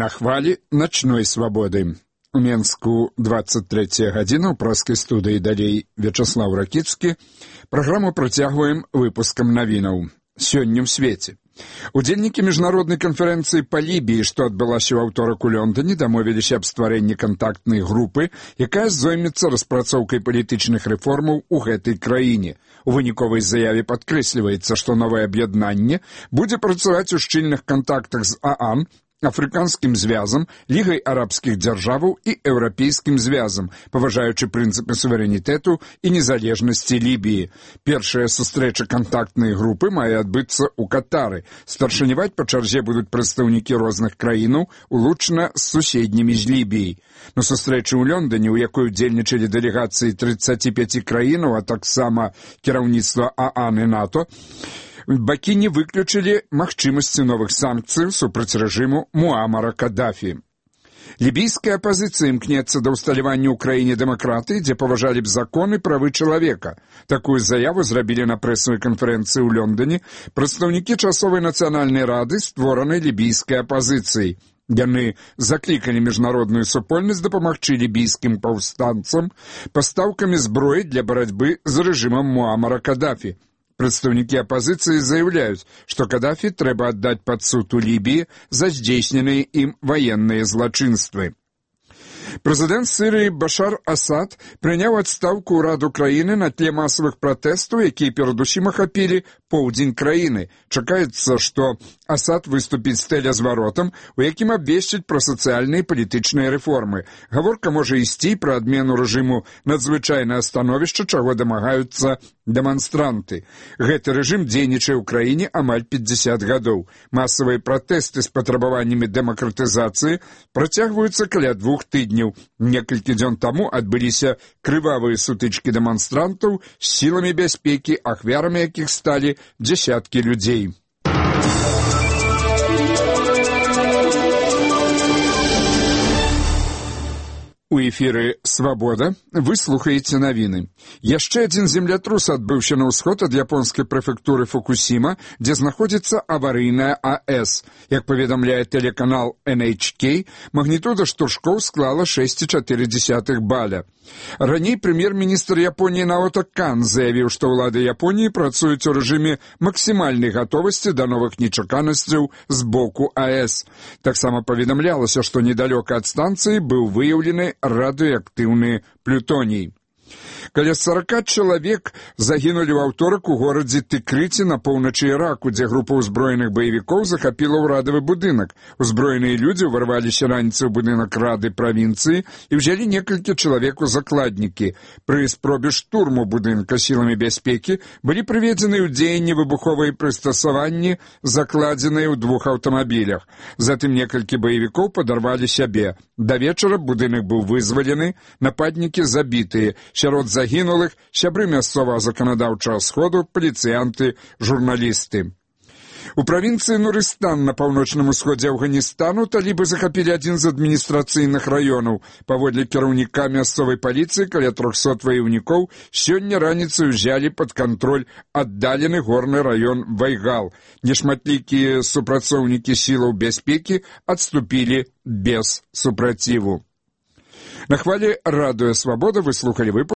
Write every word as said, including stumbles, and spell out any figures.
на хвалі начной свабоды. У Менску двадцать третья гадзіна, ў праскай студыі далей Вячаслаў Ракіцкі. Праграму працягваем выпускам навінаў. Сёння ў свеце. Удзельнікі міжнароднай канферэнцыі па Лібіі, што адбылася ў аўторак у Лондоне, дамовіліся аб стварэнні кантактнай групы, якая зоймецца распрацоўкай палітычных рэформаў у гэтай краіне. У выніковай заяве падкрэсліваецца, што новае аб'яднанне будзе працаваць у шчыльных кантактах з ААН, Афрыканскім звязам, Лігай арабскіх дзяржаваў і Еўрапейскім звязам, паважаючы прынцыпы суверэнітэту і незалежнасці Лібіі. Першая сустрэча кантактнай групы мае адбыцца ў Катары. Старшыняваць па чарзе будуць прадстаўнікі розных краінаў, улучна з суседнімі з Лібіяй. На сустрэчы ў Лондоне, у якой удзельнічалі дэлегацыі тридцати пяти краінаў, а таксама кіраўніцтва ААН і НАТО, бакі не выключылі магчымасці новых санкцый супраць рэжыму Муамара Каддафі. Лібійская апазіцыя імкнецца да ўсталявання ў краіне дэмакратыі, дзе паважалі б законы правы чалавека. Такую заяву зрабілі на прэсавай канферэнцыі ў Лондоне прадстаўнікі часовай нацыянальнай рады, створанай лібійскай апазіцыяй. Яны заклікалі міжнародную супольнасць дапамагчы лібійскім паўстанцам пастаўкамі зброі для барацьбы з рэжымам Муамара Каддафі. Прадстаўнікі апазіцыі заяўляюць, што Каддафі трэба аддаць пад суд у Лібіі за здзейсненыя ім ваенныя злачынствы. Прэзідэнт Сірыі Башар Асад прыняў адстаўку ўраду краіны на тле масавых пратэстаў, якія перадусім ахапілі поўдзень краіны. Чакаецца, што Асад выступіць з тэлязваротам, у якім абвесціць пра сацыяльныя і палітычныя рэформы. Гаворка можа ісці пра адмену рэжыму надзвычайнае становішча, чаго дамагаюцца дэманстранты. Гэты рэжым дзейнічае ў краіне амаль пятьдесят гадоў. Масавыя пратэсты з патрабаваннямі дэмакратызацыі працягваюцца каля двух тыдняў. Некалькі дзён таму адбыліся крывавыя сутычкі дэманстрантаў з сіламі бяспекі, ахвярамі якіх сталі дзясяткі людзей. У эфіры «Свабода» вы слухаеце навіны. Яшчэ адзін землятрус адбыўся на ўсход ад японскай прэфектуры Фукусіма, дзе знаходзіцца аварыйная АЭС. Як паведамляе тэлеканал эн эйч кей, магнітуда штуршкоў склала шесть і чатыры дзесятых баля. Раней прэм'ер-міністр Японіі Наото Кан заявіў, што ўлады Японіі працуюць у рэжыме максімальнай гатовасці да новых нечаканасцяў з боку АЭС. Таксама паведамлялася, што недалёка ад станцыі быў выяўлены радыеактыўны плютоній. Каля сорока чалавек загінулі ў аўторак у горадзе Тыкрыці на поўначы Іраку, дзе група ўзброеных баевікоў захапіла ўрадавы будынак. Узброеныя людзі ўварваліся раніцай у будынак рады правінцыі і ўзялі некалькі чалавек у закладнікі. Пры спробе штурму будынка сіламі бяспекі былі прыведзены ў дзеянне выбуховыя прыстасаванні, закладзеныя ў двух аўтамабілях. Затым некалькі баевікоў падарвалі сябе. Да вечара будынак быў вызвалены, нападнікі забітыя. Сярод загінулых сябры мясцовага заканадаўчага сходу, паліцыянты, журналісты. У правінцыі Нурыстан на паўночным усходзе Афганістану талібы захапілі адзін з адміністрацыйных раёнаў. Паводле кіраўніка мясцовай паліцыі, каля трохсот ваяўнікоў сёння раніцай узялі пад кантроль аддалены горны раён Вайгал. Нешматлікія супрацоўнікі сілаў бяспекі адступілі без супраціву. На хвалі радыё «Свабода» вы слухалі выпуск